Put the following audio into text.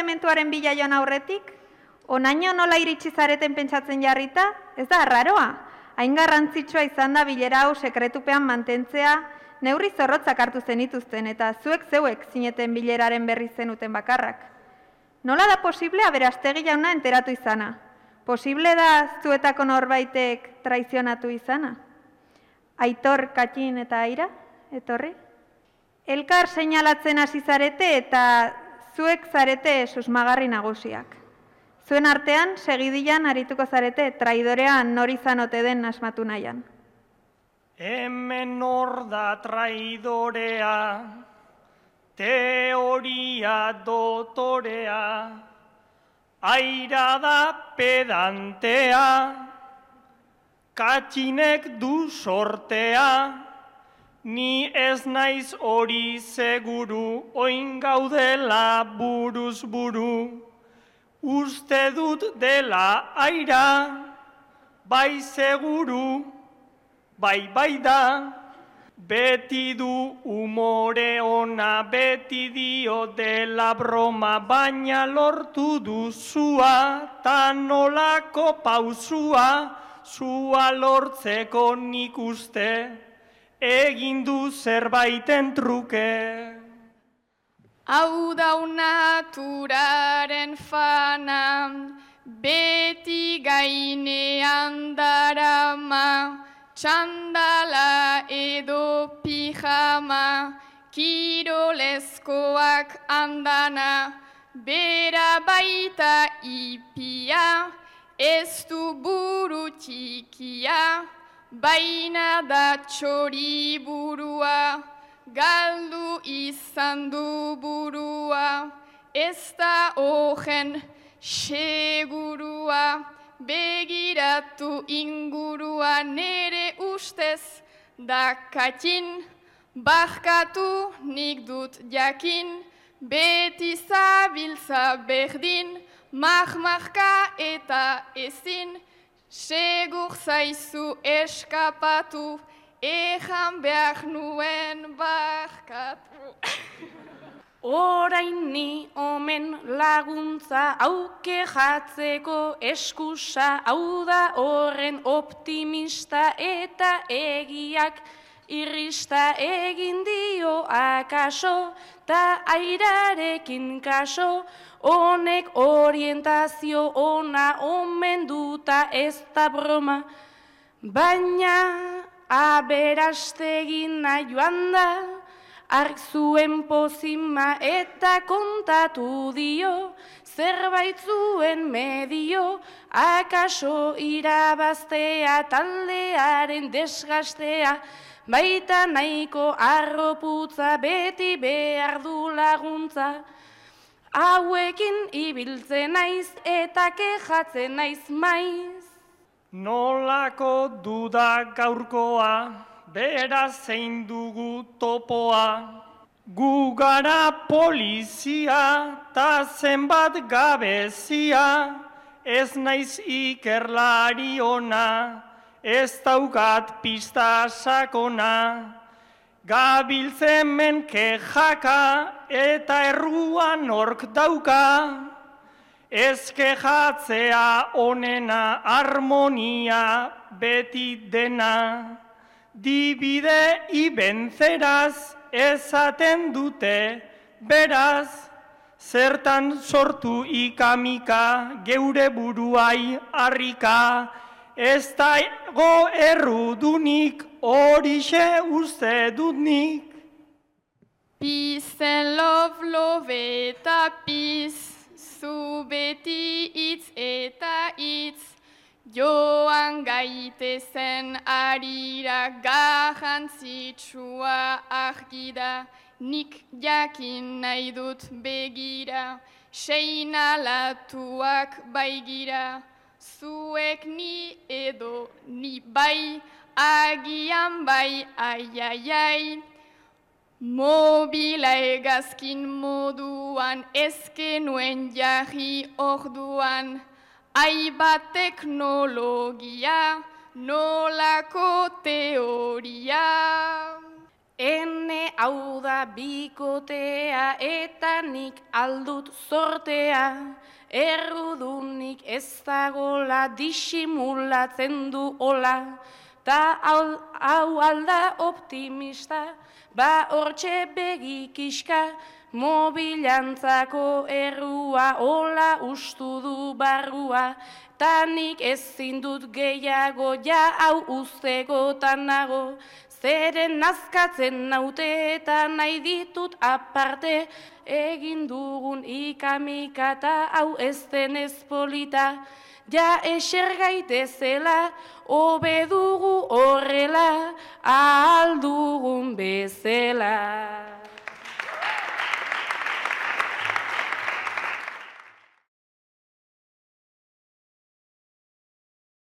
elementuaren bila joan aurretik? Onaino nola iritsi zareten pentsatzen jarrita? Ez da arraroa. Hain garrantzitsua izan da bilera hau sekretupean mantentzea, neurri zorrotzak hartu zenituzten eta zeuek zineten bileraren berri zenuten bakarrak. Nola da posible Aberastegi jauna enteratu izana? Posible da zuetako norbaitek traizionatu izana? Aitor, Katxin eta Aira, etorri? Elkar seinalatzen hasi zarete eta zuek zarete susmagarri nagusiak. Zuen artean, segidian arituko zarete traidorean nor izan ote den asmatu nahian. Hemen nor da traidorea, teoria dotorea, Aira da pedantea, Katxinek du sortea, ni ez naiz hori seguru, oin gaudela buruz buru. Uste dut dela Aira, bai seguru, bai da. Beti du umore ona, beti dio dela broma, baina lortu duzua, ta nolako pausua, zua lortzeko nik uste, egin du zerbaiten truke. Hau dau naturaren fana, beti gainean darama, txandala edo pijama, kirolezkoak andana, bera baita ipia, ez du buru txikia, baina da txori burua, galdu izan du burua, ez da ogen segurua, begiratu ingurua nere ustez da Katxin, barkatu nik dut jakin, beti zabiltza berdin, mahmarka eta ezin, segur zaizu eskapatu, ejan behar nuen barkatu. Orain ni omen laguntza auke jatzeko eskusa, hau da horren optimista eta egiak irrista egin dio akaso, ta Airarekin kaso, honek orientazio ona omen duta ez da broma, baina Aberastegin joan da, ark zuen pozima eta kontatu dio, zerbait zuen medio, akaso irabaztea taldearen desgastea, baita nahiko arroputza beti behar du laguntza. Hauekin ibiltzen naiz eta kejatzen naiz maiz. Nolako duda gaurkoa, beraz zein dugu topoa. Gu gara polizia, ta zenbat gabezia, ez naiz ikerlari ona, ez daukat pista sakona. Gabiltzen men kejaka eta erruan nork dauka, ez kejatzea onena harmonia beti dena. Divide y vencerás esaten dute, beraz, zertan sortu ikamika, geure buruai harrika, ez dago errudunik, horixe uste dut nik. Peace and love eta peace, zu beti hitz eta hitz, joan gaitezen arira garrantzitsua argira, nik jakin nahi dut begira, seinalatuak baigira, zuek ni edo ni bai, agian bai, ai. Mobila egazkin moduan, ezkenuen jarri orduan, aibat teknologia, nolako teoria. Ene hau da bikotea eta nik aldut zortea, errudunik ez dagola disimulatzen du hola, ta hau alda optimista, ba hortxe begikiska, mobilantzako errua hola ustu du barrua, ta nik ezin dut gehiago ja hau ustegotan nago, zeren nazkatzen naute eta nahi ditut aparte, egin dugun ikamika eta hau ez denez polita, ja eser gaitezela, hobe dugu horrela, ahal dugun bezela.